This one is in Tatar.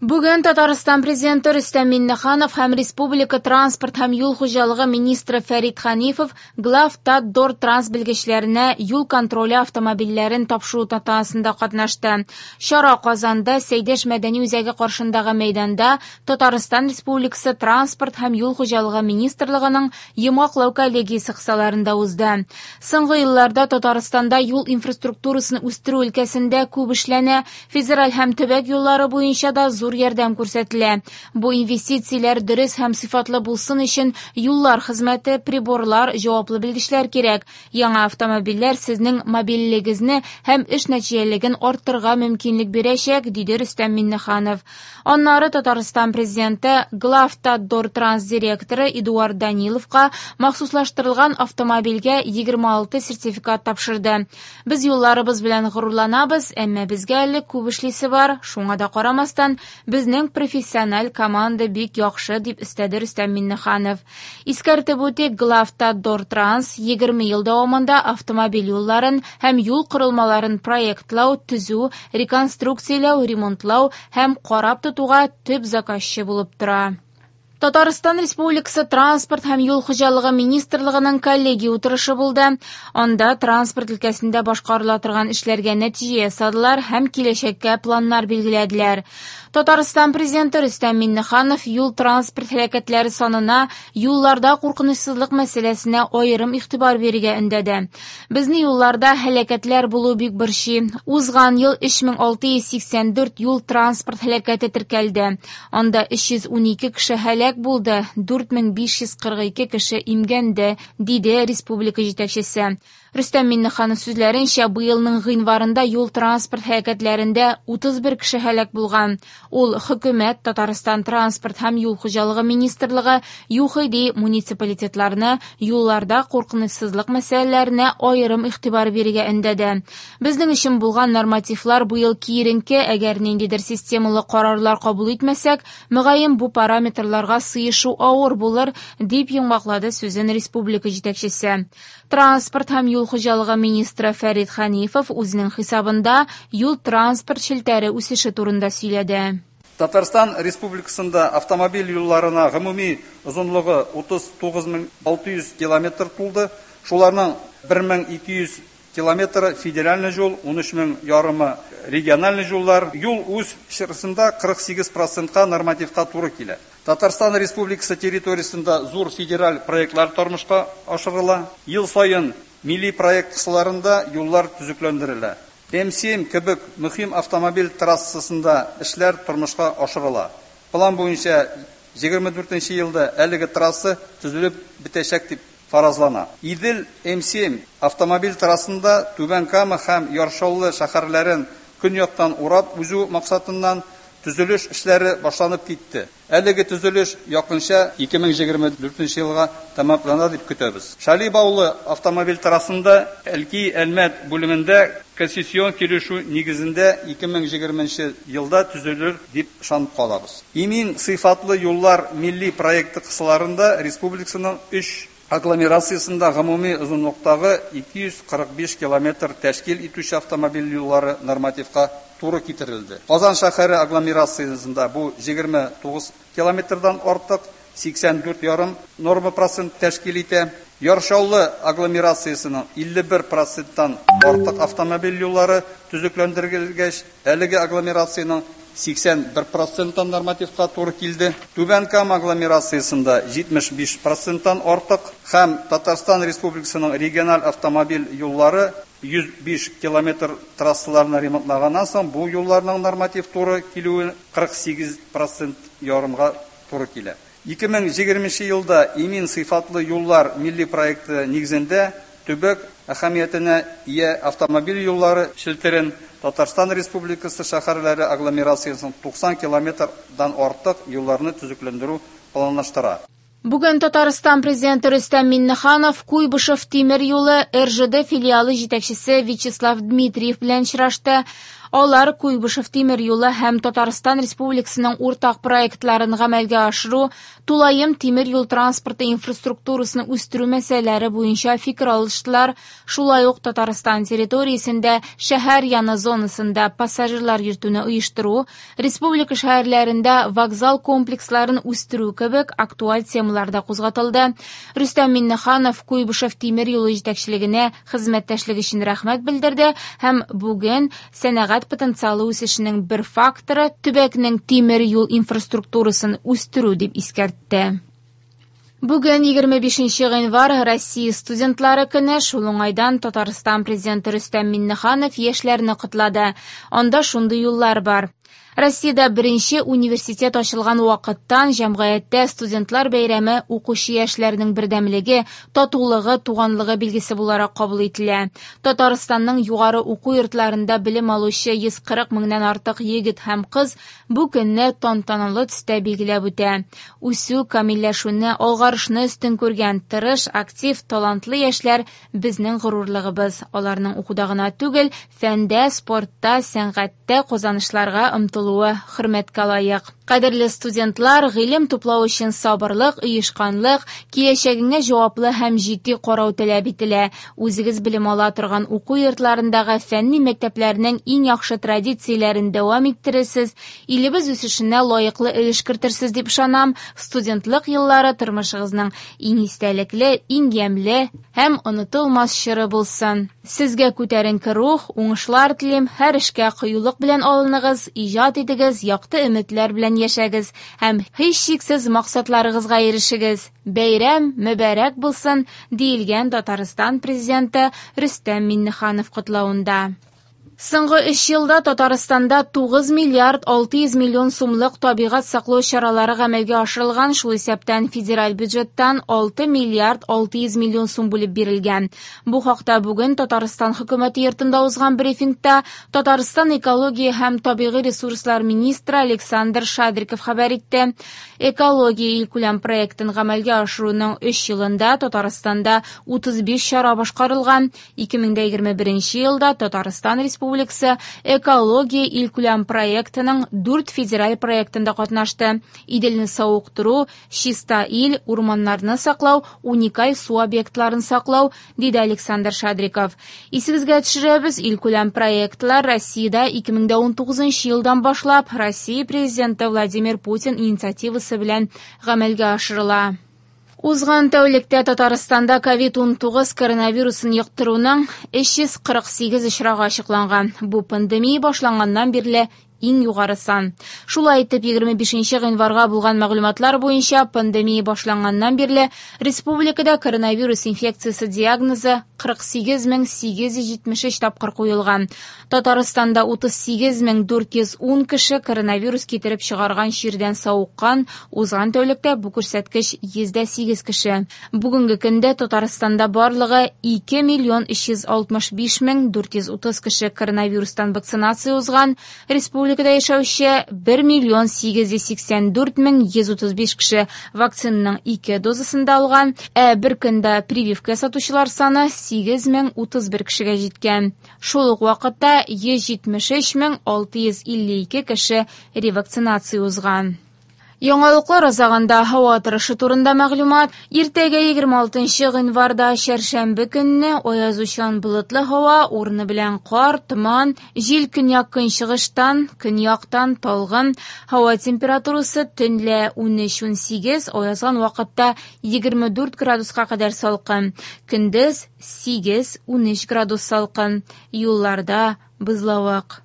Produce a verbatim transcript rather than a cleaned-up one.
Бүген Татарстан Президенты Рөстәм Миңнеханов һәм Республика транспорт һәм юл хуҗалыгы министры Фәрит Хәнифов Главтатдортранс белгечләренә юл контроле автомобильләрен тапшыру тантанасында катнашты. Чара Казанда Сәйдәш мәдәни үзәге каршындагы мәйданда Татарстан Республикасы транспорт һәм юл хуҗалыгы министрлыгының йомгаклау коллегиясе кысаларында узды. Соңгы елларда Татарстанда юл инфраструктурасын үстерү өлкәсендә күп эшләнә, федераль һәм төбәк юллары буенча да зур ярдәм күрсәтелә. Бу инвестицияләр дөрес һәм сыйфатлы булсын өчен юллар хезмәте, приборлар, җаваплы белгечләр кирәк. Яңа автомобильләр сезнең мобильлегегезне һәм эш нәтиҗәлелеген арттырырга мөмкинлек бирәчәк, диде Рөстәм Миңнеханов. Аннары Татарстан Президенты Главтатдортранс директоры Эдуард Даниловка махсуслаштырылган автомобильгә егерме алты сертификат тапшырды. Без юлларыбыз белән горурланабыз, әмма безгә әле күп эшлисе бар. Шуңа да карамастан, безнең профессиональ команда бик яхшы, дип өстәде Рөстәм Миңнеханов. Искәртеп үтик, Главтатдортранс егерме ел дәвамында автомобиль юлларын һәм юл корылмаларын проектлау, төзү, реконструкцияләү, ремонтлау һәм карап тотуга төп заказчы булып тора. Татарстан Республикасы Транспорт һәм юл хуҗалыгы министрлыгының коллегия утырышы булды. Анда транспорт өлкәсендә башкарыла торган эшләргә нәтиҗә ясадылар һәм киләчәккә планнар билгеләделәр. Татарстан Президенты Рөстәм Миңнеханов юл транспорт һәлакәтләре санына, юлларда куркынычсызлык мәсьәләсенә аерым игътибар бирергә өндәде. Безне юлларда һәлакәтләр булу бик борчый. Узган ел өч мең алты йөз сиксән дүрт юл транспорт һәлакәте теркәлде. Анда өч йөз унике кеше һәлак булды, дүрт мең биш йөз кырык ике кеше имгәнде, диде республика җитәкчесе. Рөстәм Миңнеханов сүзләренчә, быелның гыйнварында юл транспорт һәлакәтләрендә утыз бер кеше һәлак булган. Ул хөкүмәт, Татарстан транспорт һәм юл хуҗалыгы министрлыгы, ЮХИДИ муниципалитетларны юлларда куркынычсызлык мәсьәләләренә аерым игътибар бирергә өндәде. Безнең өчен булган нормативлар быел киеренке, әгәр ниндидер системалы карарлар кабул итмәсәк, мөгаен бу параметрларга сыешу авыр булыр, дип йомгаклады сүзен республика җитәкчесе. Транспорт һәм юл хуҗалыгы министры Фәрит Хәнифов үзенең хисабында юл транспорт челтәре үсеше турында сөйләде. Татарстан Республикасында автомобиль юлларына гомуми озынлыгы утыз тугыз мең алты йөз километр тулды. Шуларның бер мең ике йөз километры федеральный юл, ун өч мең ярымы региональный юллар. Юл үз чирасында кырык сигез процентка нормативка туры килә. Татарстан Республикасы территориясендә зур федераль проектлар тормышка ашырыла. Ел саен милли проект кысаларында юллар төзекләндерелә. М семь кебек мөһим автомобиль трассасында эшләр тормышка ашырыла. План буенча егерме дүртенче елда әлеге трасса төзелеп бетәчәк дип фаразлана. Идел М семь автомобиль трассасында Түбән Кама һәм Яр Чаллы шәһәрләрен көньяктан урап узу максатыннан төзелеш эшләре башланып китте. Әлеге төзелеш якынча ике мең егерме дүртенче елга тәмамлана дип көтәбез. Шали Баулы автомобиль трассасында Әлки Әлмәт бүлемендә концессион килешү нигезендә ике мең егерменче елда төзелер дип ышанып калабыз. Имин сыйфатлы юллар милли проекты кысаларында республиканың өч агломерациясендә гомуми озынлыктагы ике йөз кырык биш километр тәшкил итүче автомобиль юллары нормативка туры китерелде. Казан шәһәре агломерациясендә бу егерме тугыз километрдан артык, сиксән дүрт ярым норма процент тәшкил итә. Яр Чаллы агломерациясенең илле бер проценттан артык автомобиль юллары төзекләндерелгәч, әлеге агломерациянең сиксән бер проценттан нормативка туры килде. Түбән Кама агломерациясендә җитмеш биш проценттан артык һәм Татарстан Республикасының региональ автомобиль юллары йөз биш километр трассаларны ремонтлаганнан соң бу юлларның норматив туры килүе кырык сигез процент ярымга туры килә. Ике мең егерменче елда имин сыйфатлы юллар милли проекты нигезендә төбәк әһәмиятенә ия автомобиль юллары челтәрен Татарстан Республикасы шәһәрләре агломерациясының туксан километрдан артык юлларны төзекләндерү планлаштыра. Бүген Татарстан Президенты Рөстәм Миңнеханов Куйбышев тимер юлы Р Ж Д филиалы җитәкчесе Вячеслав Дмитриев белән очрашты. Алар Куйбышев тимер юлы һәм Татарстан Республикасының уртак проектларын гамәлгә ашыру, тулаем тимер юл транспорты инфраструктурасын үстерү мәсьәләләре буенча фикер алыштылар. Шулай ук Татарстан территориясендә шәһәр яны зонасында пассажирлар йөртүне оештыру, республика шәһәрләрендә вокзал комплексларын үстерү кебек актуаль темалар да кузгатылды. Рөстәм Миңнеханов Куйбышев тимер юлы җитәкчелегенә хезмәттәшлек өчен рәхмәт белдерде һәм бүген сәнәгать потенциалы үсешенең бер факторы төбәкнең тимер юл инфраструктурасын үстерү дип искәртте. Бүген егерме бишенче гыйнвар Россия студентлары көне. Шул уңайдан Татарстан президенты Рөстәм Миңнеханов яшьләрне котлады. Анда шундый юллар бар. Россиядә беренче университет ачылган вакыттан җәмгыятьтә студентлар бәйрәме укучы яшьләрнең бердәмлеге, татулыгы, туганлыгы билгесе буларак кабул ителә. Татарстанның югары уку йортларында белем алучы йөз кырык меңнән артык егет һәм кыз бу көнне тантаналы төстә билгеләп үтә. Үсү, камилләшүне, алгарышны өстен күргән тырыш, актив, талантлы яшьләр безнең горурлыгыбыз. Аларның укуда гына түгел, фәндә, спортта, сәнгатьтә казанышларга омтылу хөрмәткә лаек. Кадерле студентлар, гыйлем туплау өчен сабырлык, оешканлык, киләчәгеңә җаваплы һәм җитди карау таләп ителә. Үзегез белем ала торган уку йортларындагы фәнни мәктәпләрнең иң яхшы традицияләрен дәвам иттерерсез, илебез үсешенә лаеклы өлеш кертерсез дип ышанам. Студентлык еллары тормышыгызның иң истәлекле, иң ямьле һәм онытылмас чоры булсын. Сезгә күтәренке рух, уңышлар телим, һәр эшкә кыюлык белән алыныгыз, иҗат итегез, якты өметләр белән яшәгез һәм һичшиксез максатларыгызга ирешегез. Бәйрәм мөбарәк булсын, диелгән Татарстан президенты Рөстәм Миңнеханов котлавында. Соңгы өч елда Татарстанда тугыз миллиард алты йөз миллион сумлык табигать саклау чаралары гамәлгә ашырылган, шул исәптән федераль бюджеттан алты миллиард алты йөз миллион сум бүлеп бирелгән. Бу хакта бүген Татарстан хөкүмәте йортында узган брифингта Татарстан экология һәм табигый ресурслар министры Александр Шадриков хәбәр итте. Экология илкүләм проектын гамәлгә ашыруның өч елында Татарстанда утыз биш чара башкарылган. ике мең егерме беренче елда Татарстан Республикасы экология илкүләм проектының дүрт федераль проектында катнашты. Иделне савыктыру, чиста ил, урманнарны саклау, уникаль су объектларын саклау, диде Александр Шадриков. Исегезгә төшерәбез, илкүләм проектлар Россиядә ике мең унтугызынчы елдан башлап Россия президенты Владимир Путин инициативасы белән гамәлгә ашырыла. Узган тәүлектә Татарстанда ковид унтугыз коронавирусын йоктыруның өч йөз кырык сигез очрагы ачыкланган. Бу пандемия башланганнан бирле иң югары сан. Шулай итеп, егерме бишенче гыйнварга булган мәгълүматлар буенча пандемия башланганнан бирле республикада коронавирус инфекциясе диагнозы кырык сигез мең сигез йөз җитмеш өч тапкыр куелган. Татарстанда утыз сигез мең дүрт йөз ун кеше коронавирус китереп чыгарган чирдән савыккан. Узган тәүлектә бу күрсәткеч йөз дә сигез кеше. Бүгенге көндә Татарстанда барлыгы ике миллион өч йөз алтмыш биш мең дүрт йөз утыз кеше коронавирустан вакцинация узган. Республикада яшәүче бер миллион сигез йөз сиксән дүрт мең йөз утыз биш кеше вакцинаның ике дозасын да алган, ә бер көндә прививка ясатучылар саны сигез мең утыз бер кешегә җиткән. Шул ук вакытта йөз җитмеш өч мең алты йөз илле ике кеше ревакцинация узган. Яңалыклар азагында һава торышы турында мәгълүмат. Иртәгә егерме алтынчы гыйнварда чәршәмбе көнне аязучан болытлы һава, урыны белән кар, томан, җил көньяк-көнчыгыштан, көньяктан талгын. Һава температурасы төнлә унөч унсигез, аязган вакытта егерме дүрт градуска кадәр салкын. Көндез сигез унөч градус салкын. Юлларда бозлавык.